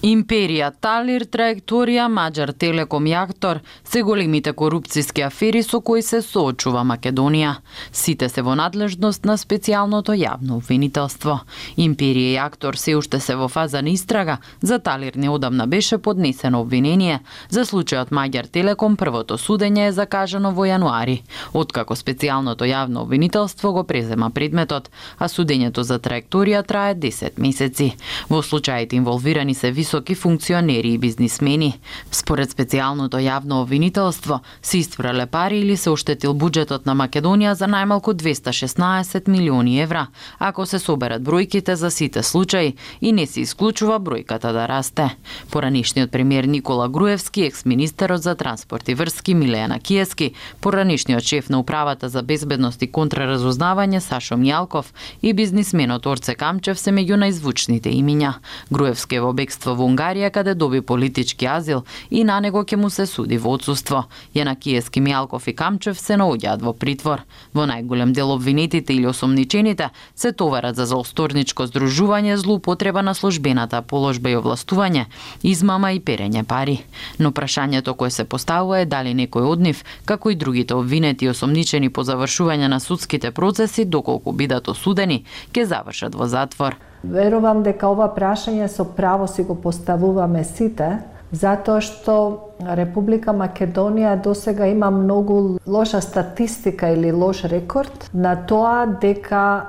Империја, Талир, Траекторија, Маđар Телеком и Актор се големите корупцијски афери со кои се соочува Македонија. Сите се во надлежност на специјалното јавно обвинителство. Империја и Актор се уште се во фаза на истрага. За Талир неодамна беше поднесено обвинение. За случајот Маđар Телеком првото судење е закажано во јануари, откако специјалното јавно обвинителство го презема предметот, а судењето за Траекторија трае 10 месеци. Во случаите инволвирани се високи функционери и бизнисмени. Според специјалното јавно обвинителство, се истфрле пари или се оштетил буџетот на Македонија за најмалку 216 милиони евра, ако се соберат бројките за сите случаи и не се исклучува бројката да расте. Поранишниот премиер Никола Груевски, екс-министерот за транспорт и врски Милејана Киески, поранишниот шеф на управата за безбедност и контраразузнавање Сашо Мијалков и бизнисменот Орце Камчев се меѓу најзвучните имиња. Груевски е во бегство во Унгарија, каде доби политички азил и на него ќе му се суди во отсуство. Јанакиевски, Мијалков и Камчев се наоѓаат во притвор. Во најголем дел обвинетите или осомничените се товарат за заосторничко здружување, злоупотреба на службената положба и овластување, измама и перење пари. Но прашањето кое се поставува е дали некој од нив, како и другите обвинети и осомничени по завршување на судските процеси, доколку бидат осудени, ќе завршат во затвор. Верувам дека ова прашање со право си го поставуваме сите, затоа што Република Македонија досега има многу лоша статистика или лош рекорд на тоа дека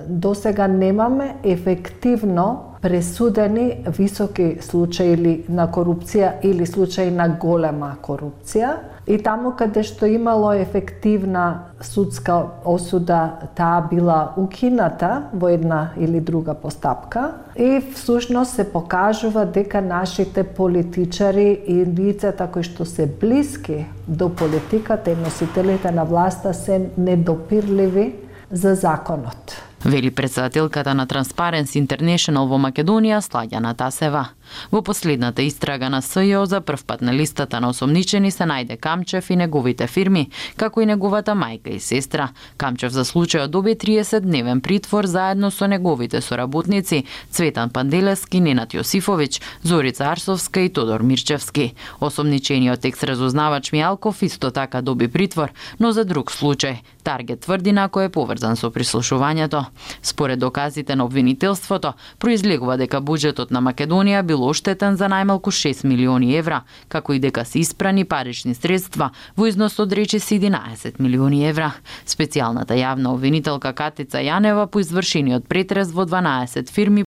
досега немаме ефективно пресудени високи случаи на корупција или случаи на голема корупција. И таму каде што имало ефективна судска осуда, таа била укината во една или друга постапка. И всушност се покажува дека нашите политичари и лицата кои што се блиски до политиката и носителите на власта се недопирливи за законот. Вели претседателката на Transparency International во Македонија Слагјана Тасева. Во последната истрага на СЈО за прв пат на листата на осомничени се најде Камчев и неговите фирми, како и неговата мајка и сестра. Камчев за случајот доби 30-дневен притвор заедно со неговите соработници Цветан Панделевски, Ненад Јосифовиќ, Зорица Арсовска и Тодор Мирчевски. Осомничениот екс-разузнавач Мијалков исто така доби притвор, но за друг случај. Таргет тврди на кој е поврзан со прислушувањето. Според доказите на обвинителството, произлегува дека буџетот на Македонија бил оштетен за најмалку 6 милиони евра, како и дека се испрани парични средства во износ од речиси 11 милиони евра. Специјалната јавна обвинителка Катица Јанева по извршениот претрес во 12 фирми